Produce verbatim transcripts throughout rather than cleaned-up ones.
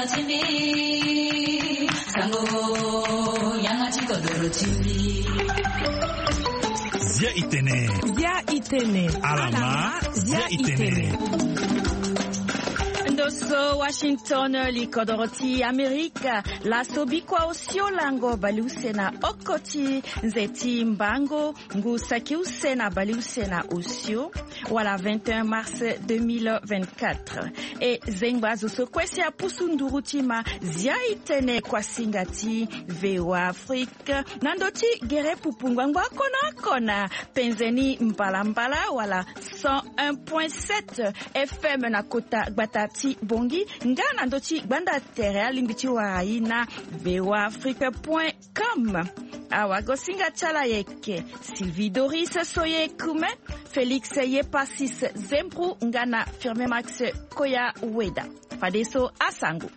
Zia itene. Zia itene. Alama. Zia itene. Ndo so Washington, li kodoro ti Amerika. Laso bikua osio lango baleuse na oko ti nze ti mbango, ngu saki use na baleuse na osio, wala vingt et un mars deux mille vingt-quatre. E zengba azo so kue si apusu nduru ti ma zia itene kuasinga ti V O A Afrique na ndo ti gere pupu ngbangbo oko na oko na penze ni mbalambala wala cent un point sept F M na kota gbata ti Bongi, nga na ndo ti gbanda tere alingbi ti wara ye na V O A Afrique point com. Awagosinga ti ala ayeke Sylvie Doris Soye Kume, Félix Yepasis Zembru nga na Firmin Max Koya Weda. Fadeso asango.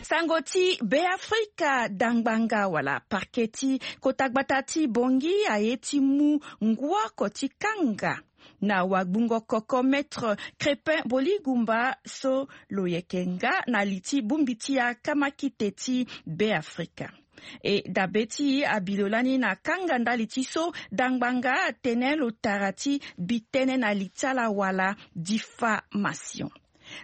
Sango ti Beafrika. Dangbanga wala parquet ti kota gbata ti Bongi aye ti mu ngu oko ti kanga na wagbungo koko Maître Crépin Boligumba so lo yeke nga na li ti bongbi ti akamakite ti Beafrika. E dabe ti abi lo lani na kanga ndali ti so dangbanga atene lo tara ti bi tënë na li ti ala wala diffamation.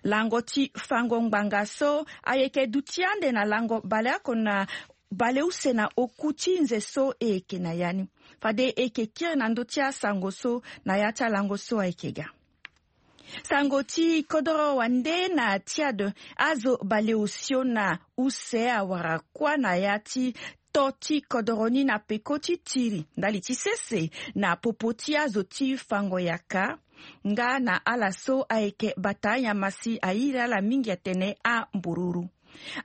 Lango ti fango ngbanga so ayeke duti ande na lango baleoko na baleuse na oku ti nze so e yeke na ya ni. Fade e yeke kiri na ndö ti asango so na ya ti alango so ayeke ga. Sango ti kodoro wande na Tchad, azo baleosio na use awara kuâ na ya ti to ti kodoro ni na peko ti tiri ndali ti sese na popo ti azo ti fango yaka nga na ala so ayeke bata anyama si airi ala mingi atene ambururu.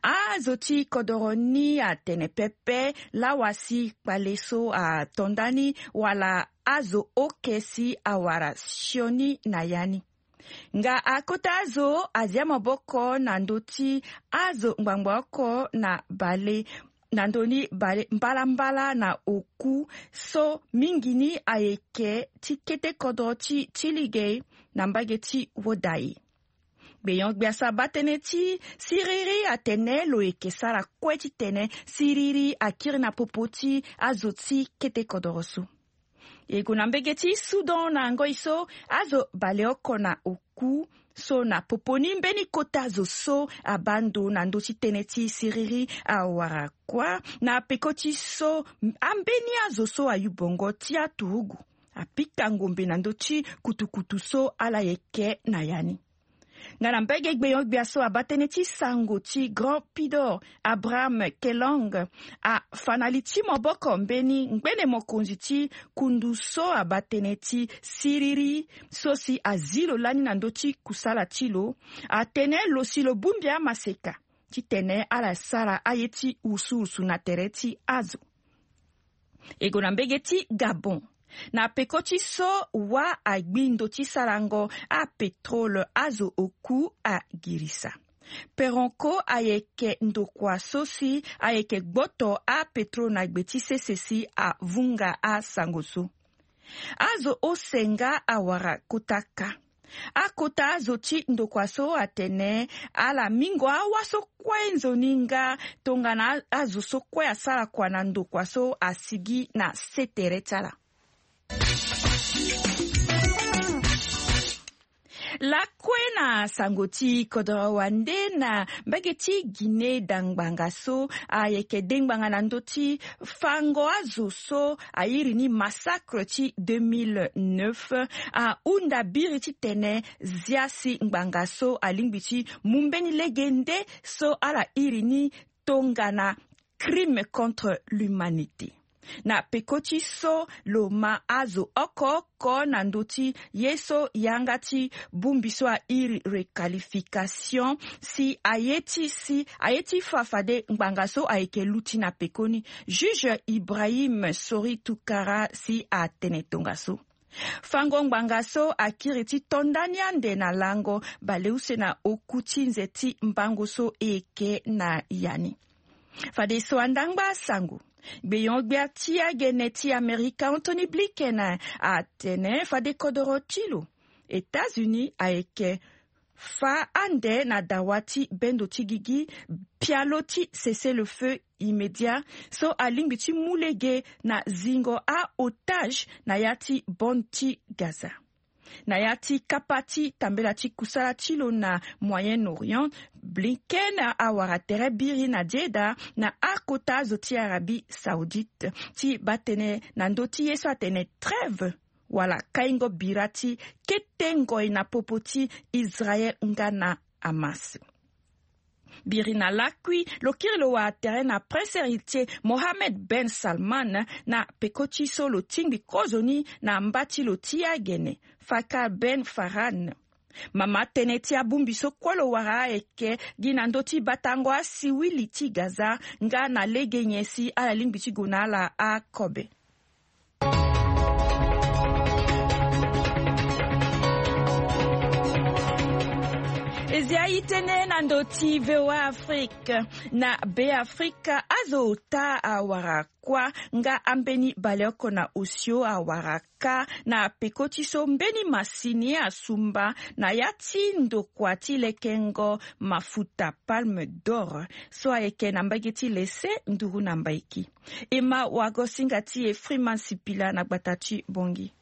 Azo ti kodoro ni atene pepe lawa si kpale so ato ndani wala azo oke si awara sioni na ya ni. Nga akota azo azia maboko na ndö ti azo ngbangba oko na bale na ndö ni bale mbalambala na oku so mingi ni ayeke ti kete kodro ti ti ligei na mbage ti woda e. Gbenyon-gbia so abaa tënë ti siriri atene lo yeke sara kue titene siriri akiri na popo ti azo ti kete kodoro so. E gue na mbege ti Soudan na ngoi so azo baleoko na oku so na popo ni mbeni kota zo so abaa ndo na ndö ti tënë ti siriri awara kuâ na peko ti so ambeni azo so ayu bongo ti aturugu apika ngombe na ndö ti kutukutu so ala yeke na ya ni. Nga na mbage gbenyon-gbia so abaa tënë ti sango ti Grand Pidor, Abraham Kelong, afa na li ti maboko mbeni ngbene mokonzi ti kundu so abaa tënë ti siriri so si azi lo lani na ndö ti kusala ti lo, atene lo si lo bongbi amaseka titene ala sara aye ti wusuwusu na tere ti azo. E gue na mbege ti Gabon. Na peko ti so wâ agbi ndo ti sarango apétrole, azo oku agirisa. Peronco ayeke ndokua so si ayeke gboto apétrole na gbe ti sese si avunga asango so. Azo ose nga awara kota kâ. Akota azo ti ndokua so atene ala mingo awâ so kue nzoni nga tongana azo so kue asara kua na ndokua so asigi na sê tere ti ala. Lakue na sango ti kodoro wande na mbage ti Guinée, dangbanga so ayeke dengbanga na ndö ti fango azo so airi ni massacre ti deux mille neuf ahunda biri titene zia si ngbanga so alingbi ti mu mbeni lege nde so ala iri ni tongana crime contre l'humanité. Na peko ti so lo ma azo oko oko na ndö ti ye so yanga ti bongbi so airi requalification si aye ti si aye ti fa fade ngbanga so ayeke luti na pekoni. Juge Ibrahim Sori Toukara si atene tongaso fango ngbanga so akiri ti to ndani ande na lango baleuse na oku ti nze ti mbango so e yeke na ya ni. Fadeso andangba asango, gbeyon-gbia ti agene ti Amerika Anthony Blinken atene fade kodoro ti lo États-Unis ayeke fa ande na dawa ti bendo ti gigi pialo ti cessez-le-feu immédiat so alingbi ti mu lege na zingo a-otage na ya ti bande ti Gaza. Na ya ti kapa ti tambela ti kusala ti lo na Moyen-Orient, Blinken awara tere biri na Jeddah na akota azo ti Arabie Saoudite ti baa tënë na ndö ti ye so atene trêve wala kaingo bira ti kete ngoi na popo ti Israël nga na Hamas. Biri na lakui, lo kiri lo wara tere na Prince Héritier Mohammed Ben Salman na peko ti so lo tingbi kozoni na mba ti lo ti agene, Fakhar Ben Farhan. Mama tënë ti abongbi so kue lo wara ayeke gi na ndö ti batango asiwili ti Gaza nga na lege nyen si ala lingbi ti gue na ala akobe. E zi aye tënë na ndö ti V O A Afrique. Na Beafrika, azo ota awara kuâ nga ambeni baleoko na osio awara kâ na peko ti so mbeni masini asumba na ya ti ndokua ti lekengo mafuta Palme d'Or so ayeke na mbage ti lese nduru na mbaiki. E ma wagosinga ti e Freeman Sipila na gbata ti Bongi.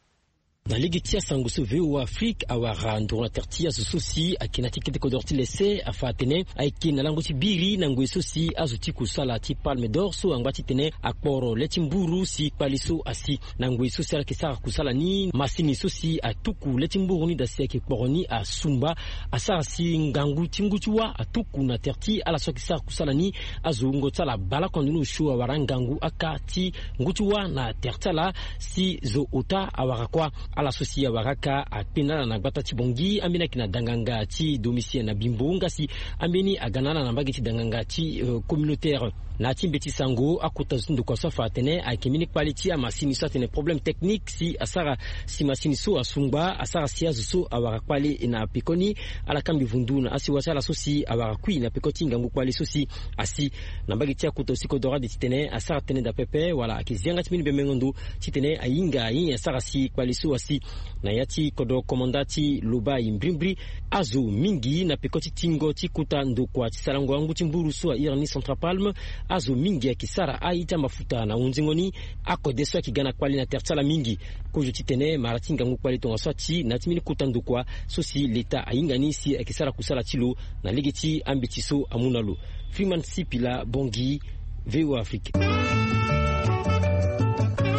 Na lege ti asango so V O A Afrique awara nduru na tere ti azo so si ayeke na ti kete kodoro ti lese afa atene ayeke na lango ti biri na ngoi so si azo ti kusala ti Palme d'Or so angba titene akporo le ti mburu si kpale so asi. Na ngoi so si ala yeke sara kusala ni, masini so si atuku le ti mburu ni daa si ayeke kporo ni asumba, asara si ngangu ti ngu ti wâ atuku na tere ti ala so ayeke sara kusala ni. Azo wungo ti ala baleoko na ndo ni osio awara ngangu aka ti ngu ti wâ na tere ti ala si zo ota awara kuâ. Ala so si awara aka akpe na ala na gbata ti Bongi, ambeni ayeke na danganga ti domicile na Bimbo, nga si ambeni aga na ala na mbage ti danganga ti, euh, communautaire. Na ya ti mbeti sango, akota zo ti ndokua so afa atene ayeke mbeni kpale ti amasini so atene problème technique si asara si masini so asungba, asara si azo so awara kpale na pekoni ala kangbi vundu na asiwa ti ala so si awara kui na peko ti ngangu kpale so si asi. Na mbage ti akota aussi kodoro ade titene asara tënë daa pepe wala ayeke zi yanga ti mbeni bembengo ndo titene ahinga ayen asara si kpale so asi. Na ya ti kodro komanda ti Lobaye mbrimbri, azo mingi na peko ti tingo ti kota ndokua ti sarango angu ti mburu so ahiri ni Central Palme. Azo mingi ayeke sara aye ti amafuta na hunzingo ni. Akode so ayeke ga na kpale na tere ti ala mingi. Kozo titene mara ti ngangu kpale tongaso ati na ya ti mbeni kota ndokua so si leta ahinga ni si ayeke sara kusala ti lo na lege ti ambeti so amu na lo. Freeman Sipila, Bongi, V O A Afrique.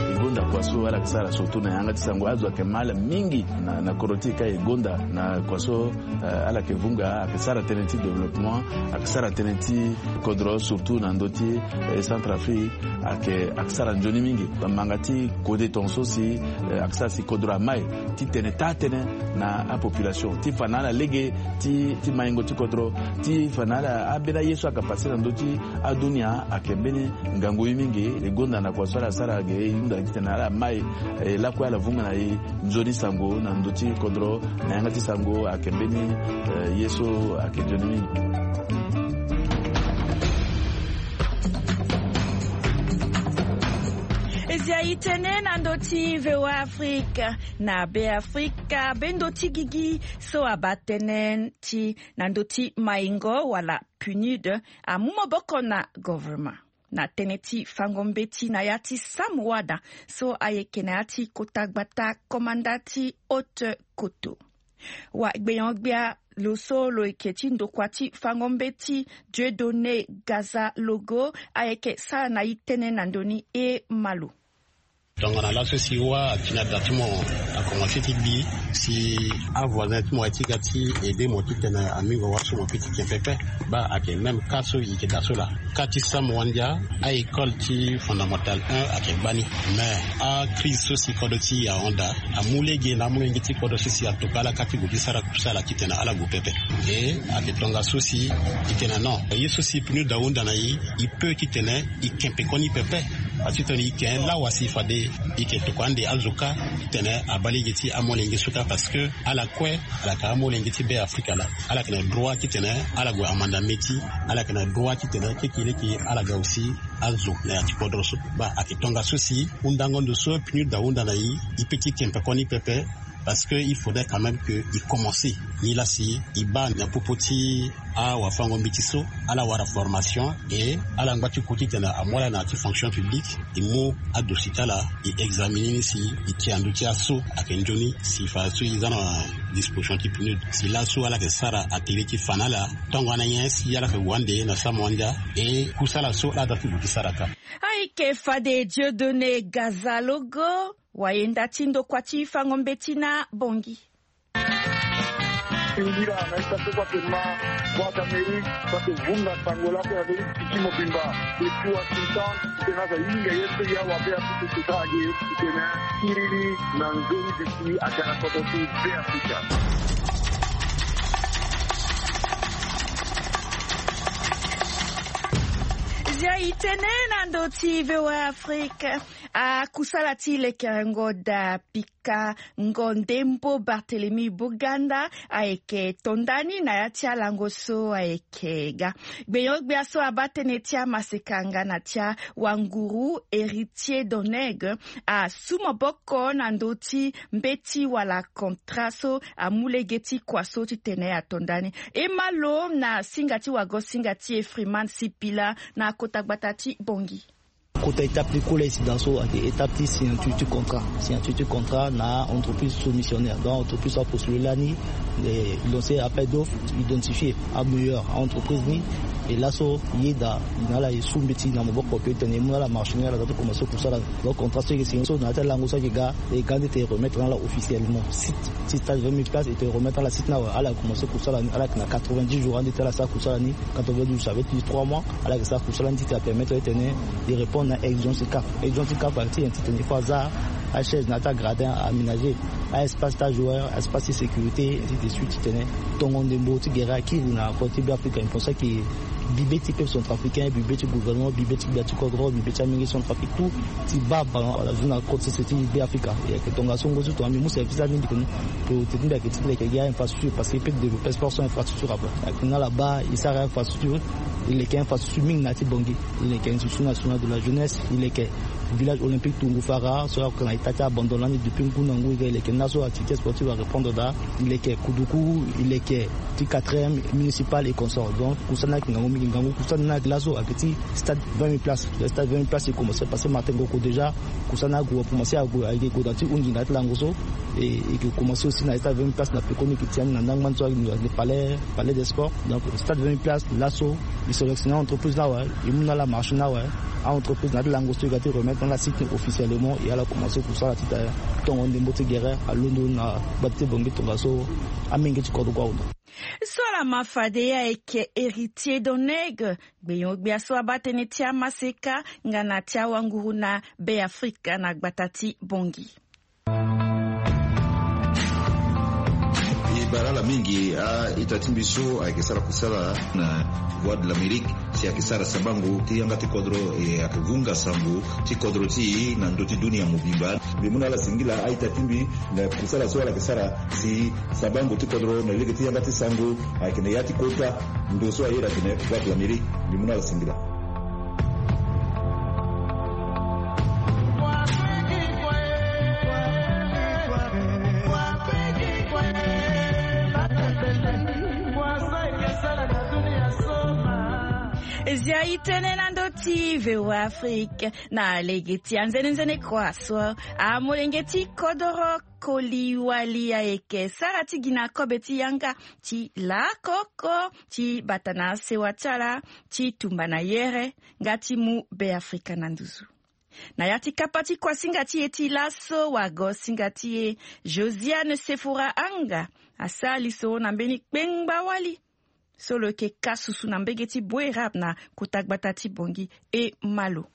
E gonda kua so ala yeke sara surtout na yanga ti sango, azo ayeke mal mingi na, na kodro ti e ka e gonda na kua so, eh, ala yeke vunga, ayeke sara tënë ti développement, ayeke sara tënë ti kodro surtout na ndö ti, eh, Centrafrique, ayeke, ayeke sara nzoni mingi. Bamanga ti kode tongaso si, eh, ayeke sara si kodro amai titene taa tënë na apopulation ti fa na ala lege ti, ti maingo ti kodro, ti fa na ala ambeni aye so ayeke pase na ndö ti adunia ayeke mbeni ngangu ye mingi. E gonda na kua so ala sara ge e hunda titene ala mai, eh, lakue ala vunga na e nzoni sango na ndö ti kodro na yanga ti sango ayeke mbeni, eh, ye so ayeke nzoni mingi. E zi aye tënë na ndö ti V O A Afrique. Na Beafrika, bendo ti gigi so abaa tënë ti na ndö ti maingo wala PNUD amu maboko na governement na tënë ti fango mbeti na ya ti Sam Wada so ayeke na ya ti kota gbata komanda ti Haute-Koto. Wa gbenyo-gbia lo so lo yeke ti ndokua ti fango mbeti, Dieudonné Gaza Logo, ayeke sara na e tënë na ndö ni. E ma lo. Tongana laso si wâ akina da ti mo akomanse ti gbi, si avoisin ti mo aye ti ga ti aider mo titene amingo wâ so mo peut ti ken pepe. Baa ayeke même cas so e yeke daa so laa. Cas ti Sam Wandia, a-école ti fondamental un ayeke gbani. Mais acrise so si kodro ti e ahon daa amu lege na amolenge ti kodro so si atokua ala ka ti gue ti sara kusala titene ala gue pepe. E ayeke tongaso si e tene non, ye so si PNUD ahunda na e, e peut titene e ken pekoni pepe. Parce que titene e ken lawa si fade e yeke tokua ande azo kâ titene abaa lege ti amolenge so kâ, parce que ala kue ala yeke amolenge ti Beafrika laa. Ala yeke na droit titene ala gue amanda mbeti. Ala yeke na droit titene keke leke ala ga aussi azo na ya ti kodro so. Baa ayeke tongaso si hundango ndo so PNUD ahunda na e, e peut ti ken pekoni pepe. Parce que il faudrait quand même que il commence ni la si il bat na popo ti awafango mbeti so, ala wara formation, et ala ngba ti ku titene amu ala na ti fonction publique, il mu adosi ti ala, il examine ni si il ti andu ti aso ayeke nzoni, si fa so il za na disposition ti pnud, si laso ala yeke sara atelier ti fa na ala. Tongana nyen si ala yeke wande na samu andia, e kusala so ala da ti luti sara ka. Ayeke fade Dieudonné Gazalogo, wayenda ti ndokua ti fango mbeti na Bangui. Singila na ita so kua ke ma Voix d'Amérique, kua ke vunga sango laso na ndö ti ti mobimba. Depuis Washington, tena za yinga ye so ya wa be Afrika ti sara ge, tena kiriri na nzoni de ti agara koto ti be Afrika. Zia itene na ndö ti V O A Afrique. Akusala ti lekerengo da pika ngo ndembo Barthélemy Boganda ayeke to ndani na ya ti alango so ayeke ga. Gbenyo-gbia so abaa tënë ti amaseka nga na ti awanguru Héritier Doneg asu maboko na ndö ti mbeti wala contrat so amu lege ti kua so titene ato ndani. E ma lo na singa ti wago singa ti e Freeman Sipila na kota gbata ti Bangui. Kota étape ti kula esi da so ayeke étape ti signature ti contrat. Signature ti contrat na entreprise soumissionnaire. Donc entreprise so apostule lani, eh, il lance appel d'offre, identifier ameilleur entreprise ni. Et laso yeda na ala e su mbeti na maboko ke tene e mu na ala marché ni, ala za ti commencer kusala. Donc contrat so e ke signer so na ya ti alango so ayeke ga, e ga ande tene e remettre na ala officiellement site ti stage vingt mille places, e tene e remettre na ala site ni awe. Ala commencer kusala ni, ala yeke na quatre-vingt-dix jours ande ti ala sara kusala ni. Quatre-vingt-dix jours, ça veut dire trois mois. Ala yeke sara kusala ni ti tene apermettre titene e répondre na exigence ti CAF. Exigence ti CAF ayeke ti tene il faut aza achaise na ya ti agradin aménager, a espace ti ajoueur, espace ti sécurité, ainsi de suite, titene tongo ndembo ti gere akiri na kota ti Beafrika. Il pense que bibe ti peuple centrafricain, bibe ti gouvernement, bibe ti gbia ti kodro, bibe ti amenge Centrafrique, tout ti baa ballon wala zo na kota sese ti Beafrika. E yeke tongaso ngu ti tongana mbi mu service ti ala ni, mbi yeke priorité ti mbi ayeke ti mbi ayeke gi a-infrastructure, parce que e peut développer sport sans infrastructure ape. Ayeke na ala baa e sara infrastructure. E leke infrastructure mingi na ya ti Bangui. E leke Institut National de la Jeunesse, e leke Village Olympique Toungou Fara so ayeke na ita ti abandon lani depuis ngu na ngu. E leke na so activité sportive arépondre daa. E leke Kuduku, e leke ti quatrième municipal et consorts. Donc kusala ni ayeke ngangu mingi. Ngangu kusala ni ayeke laso ayeke ti stade vingt mille places. Stade vingt mille places e commencer parce que Martin Ngoko déjà kusala ni ague, akomanse ague, ayeke gue na ti hunzi na ya ti lango so. E, e ke commencer aussi na stade vingt mille places na pekoni, e ke ti ni na ndangba ni so ayeke palais, palais des sports. Donc stade vingt mille places laso e sélectionner entreprise ni awe, e mu na ala marché ni awe. A-entreprise na ya ti lango so e ga ti remettre na ala site ni officiellement, e ala commencer kusala ti tene tongo ndembo ti gere alondo na gbata ti Bangui tongaso amenge ti kodro awe. So ala ma fade ye ayeke Héritier Doneg, gbenyo-gbia so abaa tënë ti amaseka nga na ti awanguru na Beafrika na gbata ti Bangui. E bara ala mingi a-ita ti mbi so ayeke sara kusala na Voix de l'Amérique, si ayeke sara sabango ti yanga ti kodro, e ayeke vunga sango ti kodro ti e na ndö ti dunia mobimba. Mbi mu na ala singila a-ita ti mbi na kusala so ala yeke sara si sabango ti kodro na lege ti yanga ti sango ayeke na ya ti kota ndo so ayeda atene Voix de l'Amérique. Mbi mu na ala singila. Zia itene na ndö ti V O A Afrique. Na lege ti anzenenzene kua so amolenge ti kodoro koli wali ayeke sara ti gi na kobe ti yanga ti lakoko ti bata na sewa ti ala ti tumba na yere nga ti mu Beafrika na nduzu. Na ya ti kapa ti kuasinga ti e ti laso, wago singa ti e Josiane Sefora Anga asara lisoro na mbeni kpengba wali so lo yeke ka susu na mbege ti Boerap na kota gbata ti Bangui. E ma lo.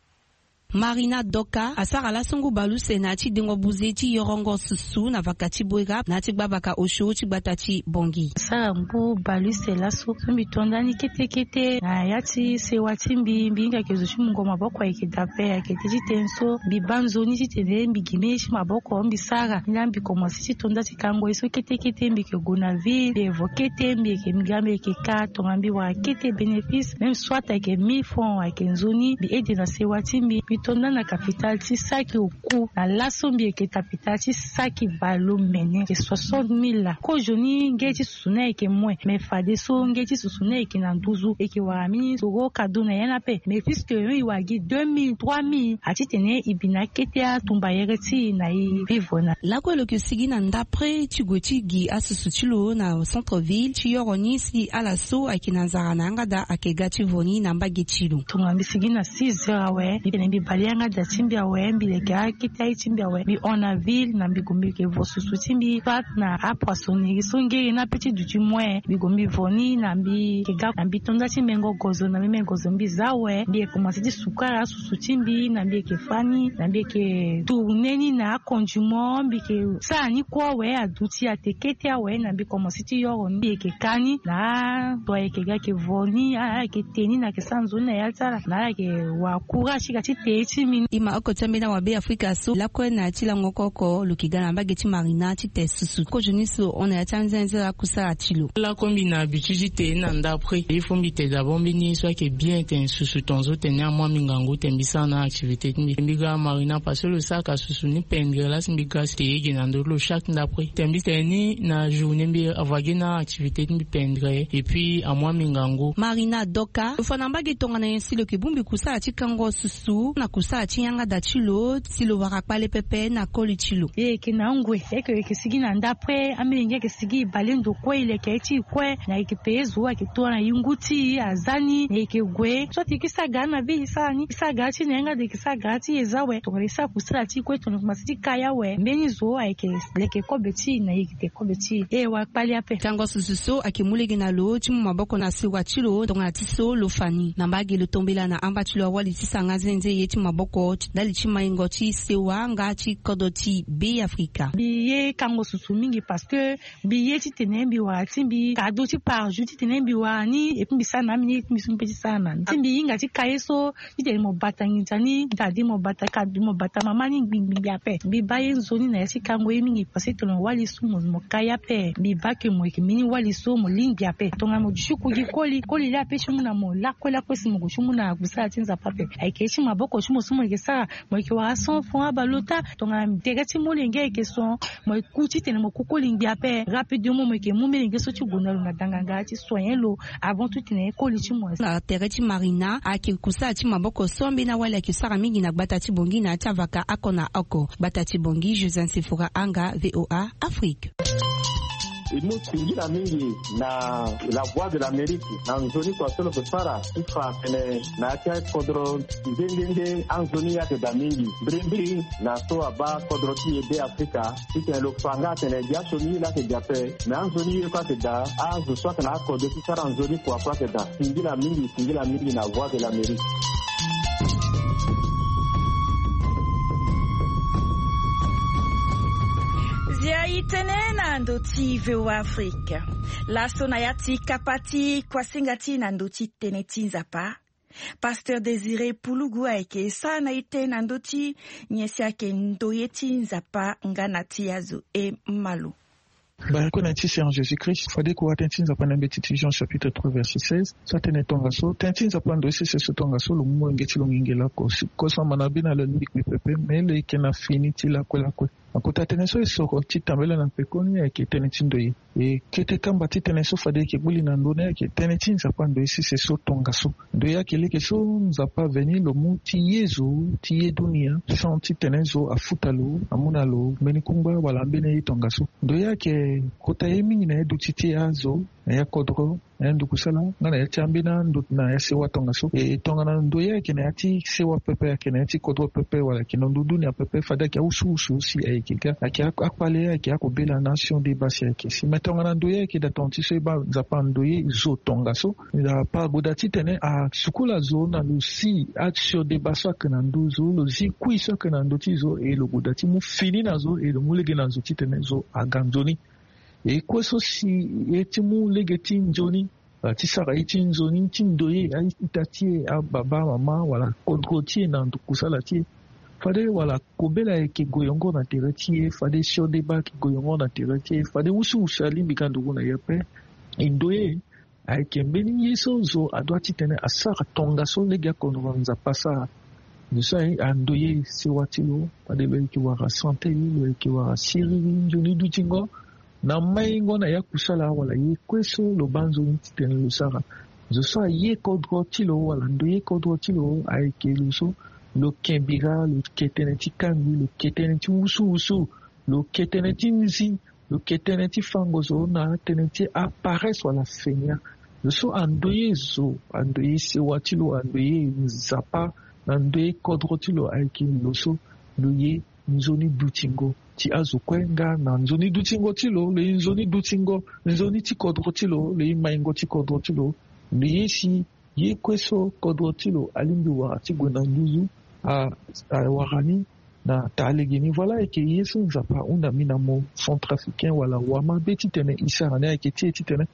Marina Doka asara laso ngu baleuse na ya ti dengo buze ti yorongo susu na vaka ti Boerap na ya ti gbavaka osio ti gbata ti Bangui. Asara ngu baleuse laso so mbi to ndani kete kete na ya ti sewa ti mbi. Mbi hinga yeke zo ti mungo maboko ayeke daa ape, ayeke tënë ti tënë so mbi baa nzoni titene mbi gi mbeni ye ti maboko mbi sara. Nilaa mbi komanse ti to nda ti kango ye so kete kete mbi yeke gue na ville, mbi evo kete mbi yeke mbi ga mbi yeke ka tongana mbi wara kete bénéfice, même soit ayeke mille francs ayeke nzoni mbi aide na sewa ti mbi. Mbi Tonda na kapitale ti saki oku na laso mbi yeke kapitale ti saki bale omene yeke soixante mille la. Kozoni nge ti susu ni ayeke moin, me fadeso nge ti susu ni ayeke na nduzu, e yeke wara mbi ni soro kado na ya ni ape. Me puisque e wara gi deux mille trois mille, a titene e bi na akete atumba yere ti e na e vivre na. Lakue lo yeke sigi na ndapre ti gue ti gi asusu ti lo na centre ville ti yoro ni si ala so ayeke na nzara na yanga daa ayeke ga ti vo ni na mbage ti lo. Tongana mbi sigi na six heures awe, mbi tene mbi bale yanga daa ti mbi awe, mbi leke akete aye ti mbi awe, mbi hon na ville na mbi gue mbi yeke vo susu ti mbi, soit na apoissonnerie so ngere ni ape ti duti moin, mbi gue mbi vo ni na mbi yeke ga na mbi tonda ti mengo gozo, na mbi mengo gozo mbi za awe, mbi yeke komanse ti sukara asusu ti mbi, na mbi yeke fa ni, na mbi yeke tourne ni na akondiment, mbi yeke sara ni kue awe, aduti ate kete awe, na mbi komanse ti yoro ni, mbi yeke ka ni na ato ayeke ga yeke vo ni, ala yeke te ni na yeke sara nzoni na ya ti ala, na ala yeke wara courage ti ga ti te ye ti mbi ni. E ma oko ti ambeni awabe afrika so lakue na ya ti lango oko oko lo yeke ga na mbage ti marina ti te susu kozoni so hon na ya ti anzenze akusala ti lo. Lakue mbi na habitude ti te ni na ndapre. Il faut mbi te d'abord mbeni ye so ayeke bien tene susu tongaso tene ni amu mbi ngangu tene mbi sara na activité ti mbi. Mbi ga na marina parce que lo saraka susu ni pendere la si mbi ga te ye ge na ndö ti lo chaque ndapre. Tene mbi tene ni na journée mbi ava ge na activité ti mbi pendere et puis amu mbi ngangu. Marina Doka lo fa na mbage tongana nyen si lo yeke bongbi kusala ti kango susu na kusala ti yanga daa ti lo si lo wara kpale pepe na koli ti lo. E yeke na ngue, e yeke, e yeke sigi na ndapre, amolenge ayeke sigi, e bale ndo kue, e leke aye ti e kue, na e yeke pe ye zo, ayeke to na yungu ti e, aza ni, na e yeke gue. So ti e yeke sara gara na be, e sara ni, e sara gara ti e na yanga daa, e yeke sara gara ti e za awe. Tongana e sara kusala ti e kue, tongana e komanse ti ka ye awe, mbeni zo ayeke leke kobe ti e, na e yeke te kobe ti e. E wara kpale ape. Kango susu so ayeke mu lege na lo ti mu maboko na sewa ti lo tongana ti so lo fa ni. Na mbage lo tombela na amba ti lo awali ti sara nga zenze ye ti maboko ndali ti maingo ti sewa nga ti kodro ti Beafrika. Mbi ye kango susu mingi parce que mbi ye titene mbi wara ti mbi kado ti par jour titene mbi wara ni, et puis mbi sara na ameni ye ti mbi so mbi pe ti sara na ni. Si mbi hinga ti ka ye so titene mo bata nginza ni, dadi mo bata kado, mo bata mama ni ngbingbingbi ape. Mbi baa ye nzoni na ya ti kango ye mingi parce que tongana wali so mo, mo ka ye ape, mbi baa ke mo yeke mbeni wali so mo lingbi ape. Tongana mo duti ku gi koli, koli laa ape ti mu na mo lakue lakue si mo gue ti mu na kusala ti Nzapa ape. Ayeke ye ti maboko ti mo so mo yeke sara, mo yeke wara cent francs abalo ota. Tongana tere ti molenge ayeke so, mo ku titene mo ku koli ngbi ape. Rapidement mo yeke mu molenge so ti gue na lo na danganga ti soigner lo avant tout titene koli ti mo. Na tere ti marina ayeke kusala ti maboko so ambeni awali ayeke sara mingi na gbata ti Bangui na ya ti avaka oko na oko. Gbata ti Bangui, José Nsefora Anga, V O A Afrique. E mu singila mingi na La Voix de l'Amérique na nzoni kua so lo yeke sara ti fa atene na ya ti akodro nde nde nde anzoni ye ayeke daa mingi. Mbirimbiri na so abaa kodro ti e Beafrika titene lo fa nga atene gi asioni ye laa ayeke daa ape, me anzoni ye kue ayeke daa. Azo so ayeke na akode ti sara nzoni kua kue ayeke daa. Singila mingi, singila mingi na Voix de l'Amérique. Zia e tene na ndö ti V O A Afrique. Laso na ya ti kapa ti kuasinga ti na ndö ti tënë ti Nzapa, Pasteur Désiré Pulugu ayeke sara na e tënë na ndö ti nyen si ayeke ndoye ti Nzapa nga na ti azo e ma lo. Bale kue na ti Seigneur Jésus-Christ, fade e kura tënë ti Nzapa na mbeti ti Jean chapitre trois verset seize so atene tongaso, tënë ti Nzapa ndoye sese so tongaso, lo mu molenge ti lo ngingi laoko. Si kosama na bino lo alingbi pepe, me lo yeke na fini ti lakue lakue. Na kota tënë so e soro ti tambela na pekoni ayeke tënë ti ndoye. E kete kamba ti tënë so fade e yeke gbu li na ndö ni ayeke tënë ti Nzapa ndoye sese so tongaso. Ndoye ayeke lege so Nzapa aveni lo mu ti ye zo, ti ye dunia, sans titene zo afuta lo, amu na lo mbeni kungba wala ambeni ye tongaso. Ndoye ayeke kota ye mingi na ya duti ti azo, na ya kodro, na ya ndukusala, nga na ya ti ambeni ando na ya sewa tongaso. E tongana ndoye ayeke na ya ti sewa pepe, ayeke na ya ti kodro pepe, wala ayeke na ndo dunia pepe, fade ayeke awusuwusu si ayeke ga, ayeke ak-, akpale, ayeke akobela na asioni deba si ayeke si. Me tongana ndoye ayeke daa tonga ti so e baa Nzapa andoye zo tongaso, Nzapa ague daa titene asukula zo na lo si asioni deba so ayeke na ndö zo, lo zi kui so ayeke na ndö ti zo, e lo gue daa ti mu fini na zo, e lo mu lege na zo titene zo aga nzoni. E kue so si ye ti mu lege ti nzoni, wala ti sara ye ti nzoni ti ndoye, a-ita ti e, ababa, amama, wala kodro ti e na ndo kusala ti e. Fade wala kobela ayeke goyongo na tere ti e, fade sioni deba ayeke goyongo na tere ti e, fade wusuwusu alingbi ga nduku na e ape. E ndoye ayeke mbeni ye so zo adua titene asara tongaso lege akodro Nzapa asara. Lo so aye andoye sewa ti lo, fade lo yeke wara sante, lo yeke wara siriri nzoni dutingo na maingo na ya kusala wala ye kue so lo baa nzoni titene lo sara. Zo so aye kodro ti lo wala ndoye kodro ti lo ayeke lo so lo ke bira, lo ke tënë ti kangbi, lo ke tënë ti wusuwusu, lo ke tënë ti nzi, lo ke tënë ti fango zo na tënë ti aparece wala fainéant. Lo so andoye zo, andoye sewa ti lo, andoye Nzapa na ndoye kodro ti lo ayeke lo so lo ye nzoni dutingo ti azo kue nga na nzoni dutingo ti lo, lo ye nzoni dutingo, nzoni ti kodro ti lo, lo ye maingo ti kodro ti lo. Lo ye si ye kue so kodro ti lo alingbi wara ti gue na nduzu, a, awara ni na taa lege ni. Voilà, ayeke ye so Nzapa ahunda mbi na mo centrafricain wala wamabe titene e sara ni, ayeke ti e titene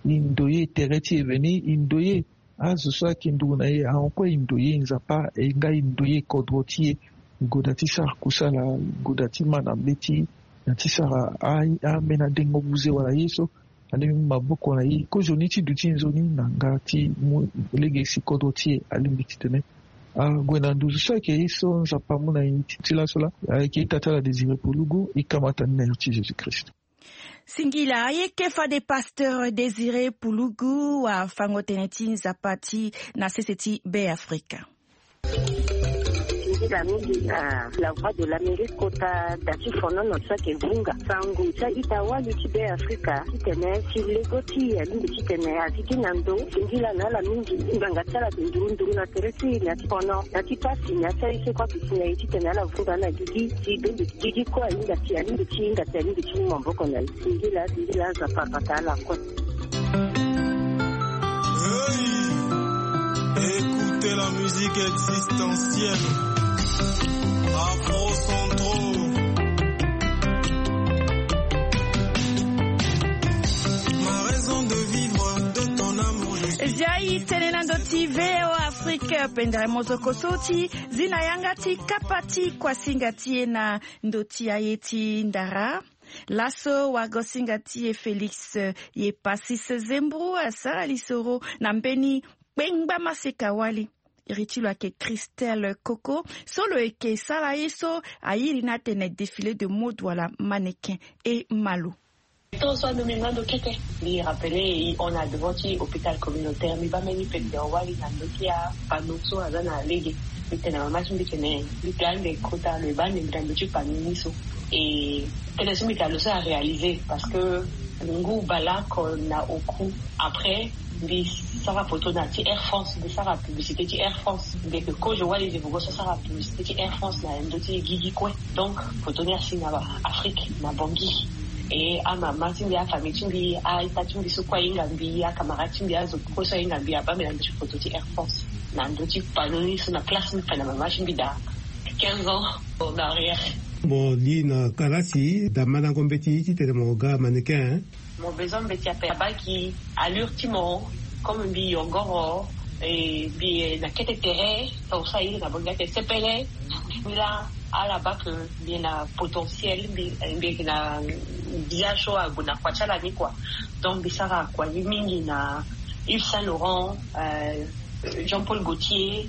e ndoye tere ti e veni, e ndoye azo so ayeke nduru na e, ahon kue e ndoye Nzapa, e nga e ndoye kodro ti e. E goda ti sara kusala, e goda ti ma na mbeti na ti sara a, ambeni adengo buze wala ye so alingbi maboko na e. Kozoni ti duti nzoni na nga ti mu lege si kodro ti e alingbi titene ague na nduzu. So ayeke ye so Nzapa amu na e ti, ti laso laa. Ayeke ita ti ala Désiré Pulugu, e kamata ni na iri ti Jésus-Christ. Singila, ayeke fade pasteur Désiré Pulugu, afango tënë ti Nzapa ti na sese ti Beafrika. Singila mingi na La Voix de l'Amérique kota da ti fonono so ayeke vunga sango ti a-ita wali ti Beafrika titene si lego ti e alingbi titene a sigi na ndo. Singila na ala mingi, ngbanga ti ala ayeke nduru nduru na tere ti e na ti fono, na ti pasi, na ti aye so kue ayeke si na e titene ala vunga na gigi ti bembe. Gigi kue ahinga ti, alingbi ti hinga ti, alingbi ti mu maboko na e. Singila, singila, Nzapa abata ala kue. Hey, écoutez la musique existentielle. Afro Centro. Ma raison de vivre, de ton amour, je suis... Zia e tene na ndo ti V O Afrique, pendere mozoko so ti zi na yanga ti kapa ti kuasinga ti e na ndo ti aye ti ndara. Laso wagosinga ti e Félix, eh, Yepacis Zembrou asara lisoro na mbeni kpengba maseka wali. Iri ti lo ayeke Christelle Coco, so lo yeke sara ye so airi ni atene défilé de mode wala mannequin. E ma lo. Tongana so ando mbi mu ando kete, mbi rappelé e hon na devant ti hôpital communautaire, mbi baa mbeni pendere wali na ndo ti apanneau so aza na lege. Mbi tene na mama ti mbi tene mbi ga ande kota lo, e baa ande mbi na ndo ti panneau ni so. E tënë so mbi tene lo so aréalisé, parce que ngu baleoko na oku. Après mbi sara poto na ti Air France, mbi sara publicité ti Air France. Mbi yeke kozo wali, mbi vugo so asara publicité ti Air France na ndö ti gigi kue. Donc poto ni asi na Afrique, na Bangui. E amama ti mbi, afamille ti mbi, a-ita ti mbi so kue ahinga mbi, acamarade ti mbi, azo kue so ahinga mbi, abaa mbi na ndö ti poto ti Air France, na ndö ti panneau ni so, na place mbi fa na mama ti mbi daa quinze ans en arrière. Mo li na kalasi, damandango mbeti titene mo ga mannequin, hein? Mo besoin mbeti ape, abaa gi allure ti mo, comme mbi yongoro, e mbi na kete tere, tongaso aye na bango ake sepele. Mbi laa ala baa que mbi na potentiel, mbi, mbi yeke na gbia so ague na kua ti ala ni, quoi. Donc mbi sara kua ni mingi na Yves Saint Laurent, euh, Jean-Paul Gaultier,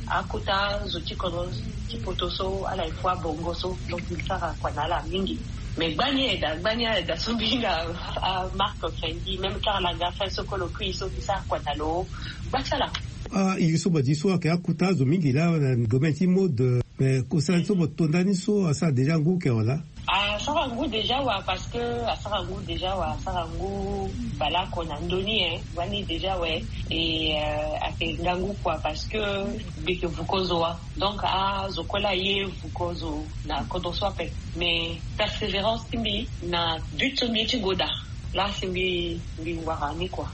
akota zo ti kodro ti poto so, ala ye fo abongo so. Donc mbi sara kua na ala mingi. Mais gbani aye daa, gbani aye daa so mbi hinga, ah, marque Fendi, même Karl Lagerfeld so kue lo kui so, mbi sara kua na lo. Gba ti ala. Ah, iri so badi so ayeke akota zo mingi laa na domaine ti mode. Mais kosala ni so mo to ndani so asara déjà ngu eke wala? Asara ngu déjà wa, parce que asara ngu déjà wa, asara ngu baleoko na ndö ni, hein. Wani déjà we. Et, euh, ayeke ngangu, quoi, parce que mbi yeke vuko zo wa. Donc azo kue laa aye vuko zo na kodro so ape. Mais persévérance ti mbi na but so mbi ye ti gue daa, laa si mbi, mbi wara ni, quoi.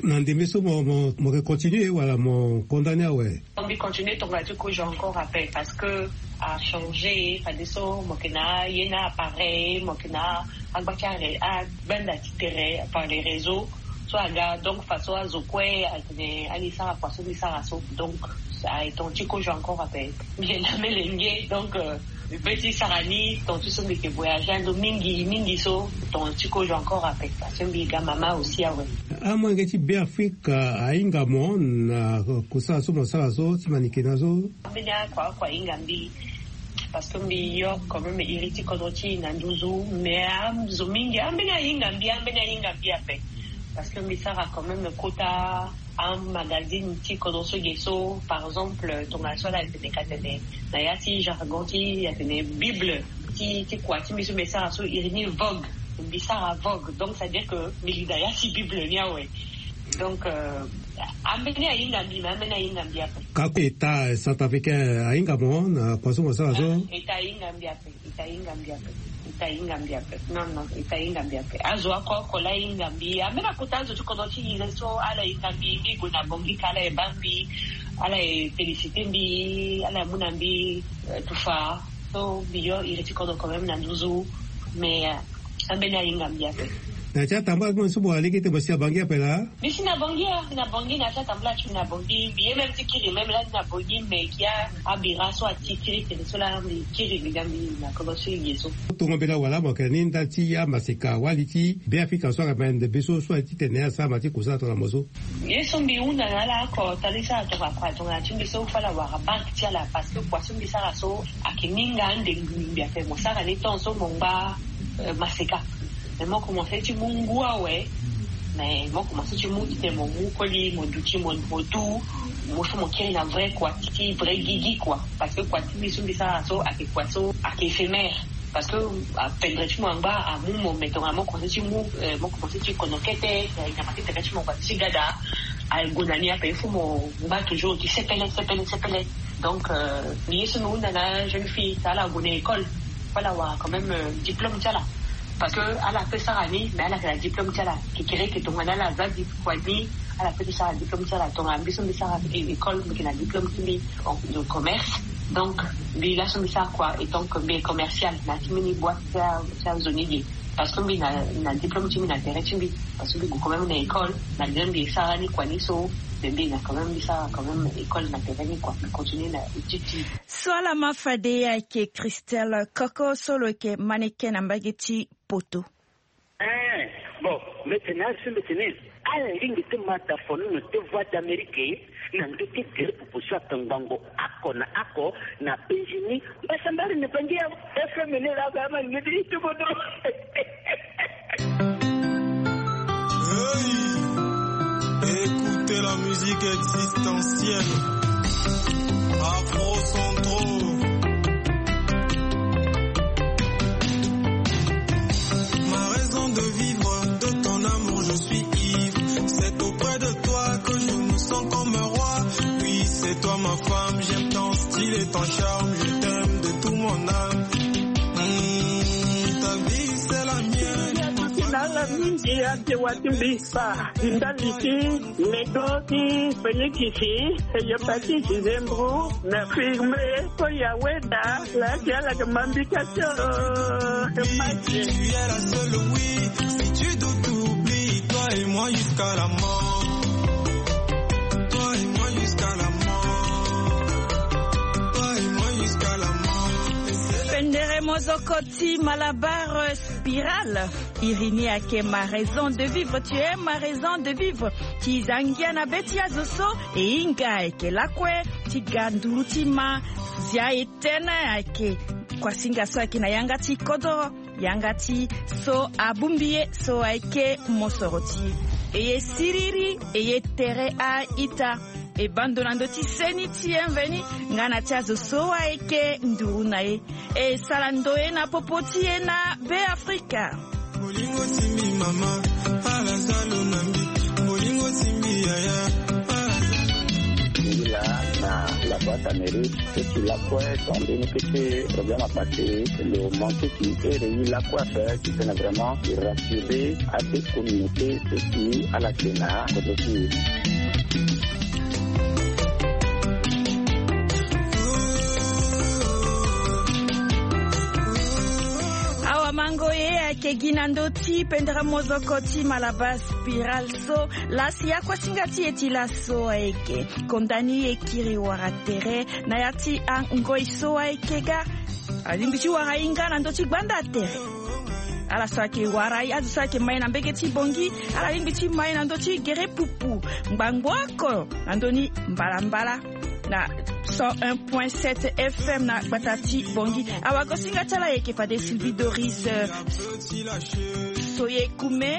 Na ndembe so mo, mo, mo yeke continuer wala mo condamner awe? Mbi continue tongana ti kozo encore ape, parce que achangé, fadeso mo yeke na ye na appareil, mo yeke na agba ti are, agbanda ti tere par les réseaux so aga, donc faso azo kue atene ali sara kua so mbi sara so. Donc aye tongana ti kozo encore ape, mbi yeke na melenge, donc, euh, Mbi pe ti sara ni, tonga ti so mbi yeke voyage ando mingi mingi so, tonga ti kozo encore ape, parce que mbi ga mama aussi awe. Amolenge ti Beafrika ahinga mo na kosala so mo sara so ti manike na so? Ambeni akua akua ahinga mbi, parce que mbi yo quand même iri ti kodro ti e na nduzu. Mais azo mingi ambeni ahinga mbi, ambeni ahinga mbi ape, parce que mbi sara quand même kota amagazine ti kodro so ge so, par exemple tongana so ala tene ka tene na ya ti jargon ti atene Bible ti ti kua ti mbi so mbi sara so iri ni Vogue. Mbi sara Vogue, donc ça veut dire que mbi li na ya ti Bible ni awe. Donc euh, ambeni ahinga mbi, mais ambeni ahinga mbi ape. Kako État centrafricain ahinga mo na kua so mo sara so? État ahinga mbi ape. État ahinga mbi ape. État ahinga mbi ape. Non non, État ahinga mbi ape. Azo oko oko la ahinga mbi, ambeni akota azo ti kodro ti e so ala hinga mbi, mbi gue na Bangui ka ala e baa mbi, ala e féliciter mbi, ala e mu na mbi euh, tufa. So mbi yo iri ti kodro quand même na nduzu. Mais euh, ambeni ahinga mbi ape. Na ti atambula ti mo so mo alege ti mo si na Bangui ape laa? Mbi si na Bangui, na Bangui, na ti atambula ti mbi na Bangui, mbi ye même ti kiri même lani na Bangui, mais gi abira so ati kiri tene so laa mbi kiri mbi ga mbi na kodro so e ge so. Tongo mbela wala mo yeke na ni ndali ti amaseka wali ti Beafrika so ayeke mende be so so aye titene asara ma ti kusala tongana mo so? Ye so mbi hunda na ala oko, tali so ala tokua kua tongana ti mbi so fo ala wara banque ti ala, parce que kua so mbi sara so ayeke ni nga ande ngbi ngbi ape. Mo sara ni temps so mo ngba euh, maseka. Mais mo commencé ti mu ngu awe. Mais mo commencé ti mu titene mo mu koli, mo duti, mo mo du, mo so mo kiri na vrai kua ti vrai gigi kua. Parce que kua ti mbi so mbi sara so ayeke kua so ayeke éphémère. Parce que apendre ti mo angba amu mo, mais tongana mo commencé ti mu euh, mo commencé ti kono kete, euh, nyama ti tene ti mo ngba ti gada ague na ni ape, il faut mo ngba toujours ti sepele sepele sepele. Donc euh, mbi ye so mbi hunda na jeune fille, tongana ala gue na école, fo ala wara quand même euh, diplôme ti ala. Parce que ala pe sara ni, mais ala yeke na diplôme ti ala. Kekere yeke tongana ala za di kua ni, ala pe ti sara diplôme ti ala. Tongana mbi so mbi sara école, mbi yeke na diplôme ti mbi en- de commerce. Donc mbi laso mbi sara kua, étant que mbi est commercial na ti mbeni boîte ti a- ti azo ni ge. Parce que mbi na, na diplôme ti mbi na tere ti mbi. Parce que mbi gue quand même na école, malgré mbi sara ni kua ni so, mais mbi na quand même, mbi sara quand même école na tere ni kua, mbi continue na étude ti mbi. So ala ma fade ayeke Christelle Coco so lo yeke mannequin na mbage ti Poto. Eh, bon, mbeti na azo so mbeti ni. Ala lingbi ti ma dafono na te Voix d'Amérique na ndö ti gere popo so atongbango oko na oko na penzi ni. Mbasambari na Bangi ya F M ni la ga ma ni ti bodo. Hey, écoutez la musique existentielle. Afro Centro. Ma raison de vivre, de ton amour, je suis ivre. C'est auprès de toi que je me sens comme un roi. Oui, c'est toi ma femme, j'aime ton style et ton charme. Je t'aime de tout mon âme. Hmm, ta vie, c'est la mienne. Ti na ala mingi ake wa ti mbi. Ba ndali ti Lego ti Felikisi, Heliopatisi Zembro, na Firme, Koya Weda, la ti ala yeke ma mbi ka ti o. Mike. Tu es la seule, oui. Si tu doutes, oublie, toi et moi jusqu'à la mort. Toi et moi jusqu'à la mort. Toi et moi jusqu'à la mort. Pendere mozoko ti Malabar Spiral. Iri ni ayeke ma raison de vivre, tu es ma raison de vivre. Ti za ngia na be ti azo so e hinga ayeke lakue ti ga nduru ti ma. Zia e tene ayeke kuasinga so ayeke na yanga ti kodoro, yanga ti so abongbi ye so ayeke mosoro ti e. E ye siriri, e ye tere a-ita. E baa ndo na ndö ti seni ti e mveni nga na ti azo so ayeke nduru na e. E sara ndoye na popo ti e na Beafrika. Bolingo ti mbi mama, ala za lo na mbi. Bolingo ti mbi yaya, ala za lo na mbi. Ngi laa na la boîte Amérique, so ti lakue, tonga mbeni kete problème apassé, lo manqué ti ere ye lakue ape, titene vraiment e rassurer ade communauté so si ala yeke na kodro ti e. Awamango ye ayeke gi na ndö ti ti pendere mozoko ti Malabar Spiral so laa si akuasinga ti e ti laso ayeke konda ni e kiri wara tere na ya ti angoi so ayeke ga. Alingbi ti wara ahinga na ndö ti gbanda tere. Ala so ayeke wara azo so ayeke mai na mbege ti bongi, ala lingbi ti mai na ndö ti gere pupu ngbangbo oko na ndö ni mbalambala na cent un point sept F M na gbata ti bongi. Awagosinga ti ala ayeke fade Sylvie Doris Soyekume.